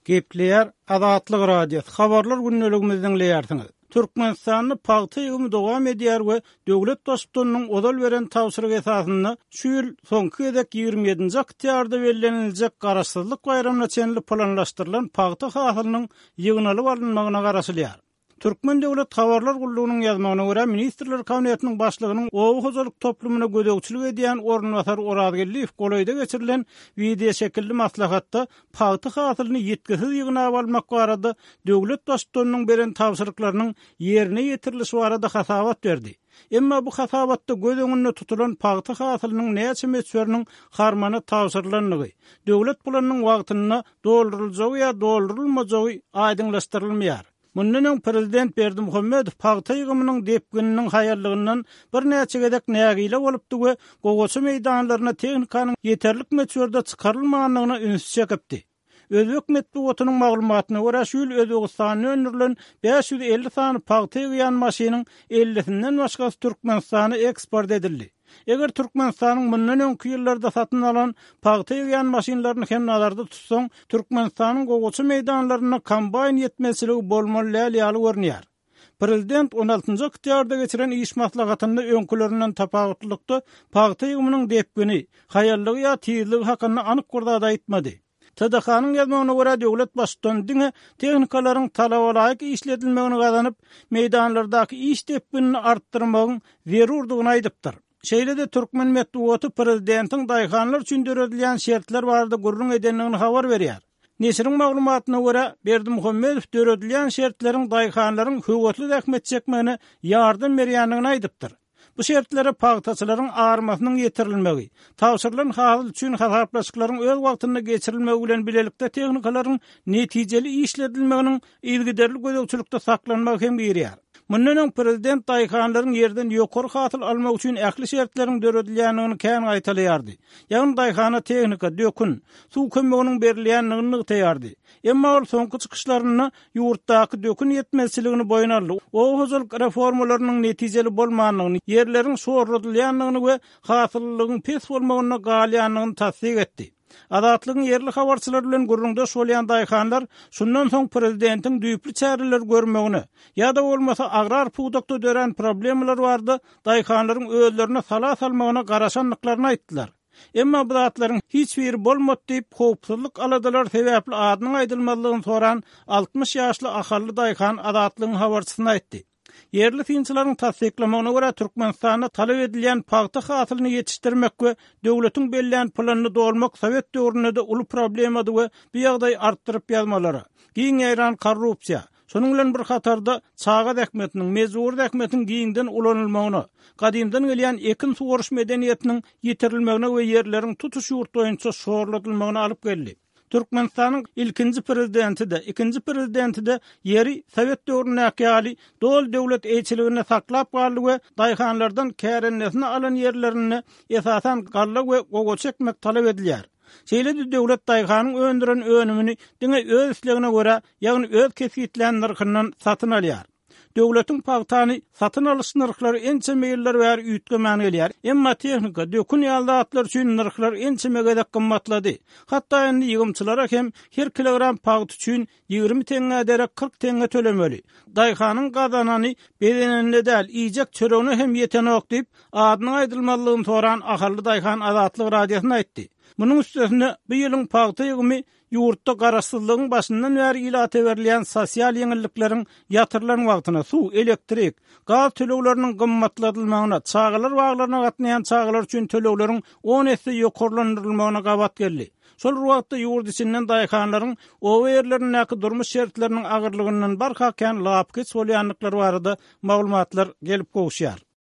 Gepleýär Azatlyk Radiosy, Habarlar gündeligimizi diňleýärsiňiz. Türkmenistanda pagta ýygymy dowam edýär we döwlet Baştutanynyň ozal beren tabşyrygy esasynda şu ýyl soňky gezek 27-nji oktýabrda belleniljek Garaşsyzlyk baýramyna çenli planlaşdyrylan pagta hasylynyň ýygnalyp alynmagyna garaşylýar. Türkmen döwlet habarlar gullugynyň ýazmagyna görä, Ministrler Kabinetiniň Başlygynyň oba hojalyk toplumyna gözegçilik edýän orunbasary Oraz Geldiýew golaýda geçirilen wideoşekilli maslahatda pagta hasylyny ýitgisiz ýygnap almak barada döwlet Baştutanynyň beren tabşyryklarynyň ýerine ýetirilişi barada hasabat berdi. Emma bu hasabatda göz öňünde tutulan pagta hasylynyň näçe möçberiniň harmana tabşyrylandygy, döwlet planynyň wagtynda dolduryljagy ýa doldurylmajagy aýdyňlaşdyrylmaýar. Mundan öň prezident Berdimuhamedow pagta ýygymynyň depgininiň haýallygyndan birnäçe gezek nägile bolupdy we gowaça meýdanlaryna tehnikanyň ýeterlik möçberde çykarylmandygyna ünsi çekipdi. Özbek metbugatynyň maglumatyna görä, şu ýyl Özbegistanda öndürilen 550 sany pagta ýygýan maşynyň ellisinden başgasy Türkmenistana eksport edildi. Eger Türkmenistanyň mundan öňki ýyllarda satyn alan pagta ýygýan maşynlaryny hem nazarda tutsaň, Türkmenistanyň gowaça meýdanlarynda kombaýn ýetmezçiligi bolmaly däl ýaly görünýär. Prezident on altynjy oktýabrda geçiren iş maslahatynda öňkülerinden tapawutlylykda pagta ýygymynyň depgini, haýallygy ýa tizligi hakynda anyk bir zat aýtmady. TDH-nyň ýazmagyna görä, döwlet Baştutany diňe tehnikalaryň talabalaýyk işledilmegini gazanyp, meýdanlardaky iş depginini artdyrmagyň zerurdygyny aýdypdyr. Şeýle-de türkmen metbugaty prezidentiň daýhanlar üçin döredilýän şertler barada gürrüň edendigini habar berýär. Neşiriň maglumatyna görä, Berdimuhamedow döredilýän şertleriň daýhanlaryň höwesli zähmet çekmegine ýardam berýändigini aýdypdyr. Bu şertlere pagtaçylaryň armasynyň ýetirilmegi, tabşyrylan hasyl üçin hasaplaşyklaryň öz wagtynda geçirilmegi bilen bilelikde tehnikalaryň netijeli işledilmeginiň yzygiderli gözegçilikde saklanmagy hem girýär. Mundan öň prezident daýhanlaryň ýerden ýokary hasyl almagy üçin ähli şertleriň döredilýändigini kän gaýtalaýardy. Ýagny daýhana tehnika, dökün, suw kömeginiň berilýändigini nygtaýardy. Emma ol soňky çykyşlarynda ýurtdaky dökün ýetmezçiligini boýun aldy, oba hojalyk reformalarynyň netijeli bolmandygyny, ýerleriň şorladylýandygyny we hasyllylygyň pes bolmagynda galýandygyny tassyk etdi. Azatlygyň ýerli habarçylary bilen gürrüňdeş bolýan daýhanlar şundan soň prezidentiň düýpli çäreler görmegine, ýa-da bolmasa agrar pudakda dörän problemalar barada daýhanlaryň özlerine sala salmagyna garaşandyklaryny aýtdylar. Emma bu zatlaryň hiç biri bolmady diýip, howpsuzlyk aladalary sebäpli adynyň aýdylmazlygyny soran 60 ýaşly ahally daýhan Azatlygyň habarçysyna aýtdy. Ýerli synçylaryň tassyklamagyna görä, Türkmenistanda talap edilýän pagta hasylyny ýetişdirmek we döwletiň bellän planyny dolmak sowet döwründe-de uly problemady we bu ýagdaý artdyryp ýazmalara, giň ýaýran korrupsiýa, Şonuň bilen bir hatarda, çaga zähmetiniň, mejbury zähmetiň giňden ulanylmagyna, gadymdan gelýän ekin suwaryş medeniýetiniň ýitirilmegine we ýerleriň tutuş ýurt boýunça şorladylmagyna alyp geldi. Türkmenistanyň ilkinji prezidenti-de, ikinji prezidenti-de ýeri sowet döwründäki ýaly doly döwlet eýçiliginde saklap galdy we daýhanlardan kärendesine alan ýerlerinde esasan galla we gowaça ekmek talap edilýär. Şeýle-de döwlet daýhanyň öndüren önümini diňe öz islegine görä, ýagny öz kesgitlän nyrhyndan satyn alýar. Döwletiň pagtany satyn alyş nyrhlary ençeme ýyllar bäri üýtgemän gelýär. Emma tehnika, dökün ýaly zatlar üçin nyrhlar ençeme gezek gymmatlady. Hatda indi ýygymçylara hem her kilogram pagta üçin 20 teňňä derek 40 teňňe tölemeli. Daýhanyň gazanany bezenende däl, iýjek çöregine hem ýetenok diýip, adynyň aýdylmazlygyny soran ahally daýhan Azatlyk Radiosyna aýtdy. Munuň üstesine, bu ýylyň pagta ýygymy ýurtda garaşsyzlygyň başyndan bäri ilata berilýän sosial ýeňillikleriň ýatyrylan wagtyna, suw, elektrik, gaz tölegleriniň gymmatladylmagyna, çagalar baglaryna gatnaýan çagalar üçin tölegleriň on esse ýokarlandyrylmagyna gabat geldi. Şol bir wagtda, ýurt içinden daýhanlaryň oba ýerlerindäki durmuş şertleriniň agyrlygyndan barha kän lapykeç bolýandyklary barada maglumatlar gelip gowuşýar.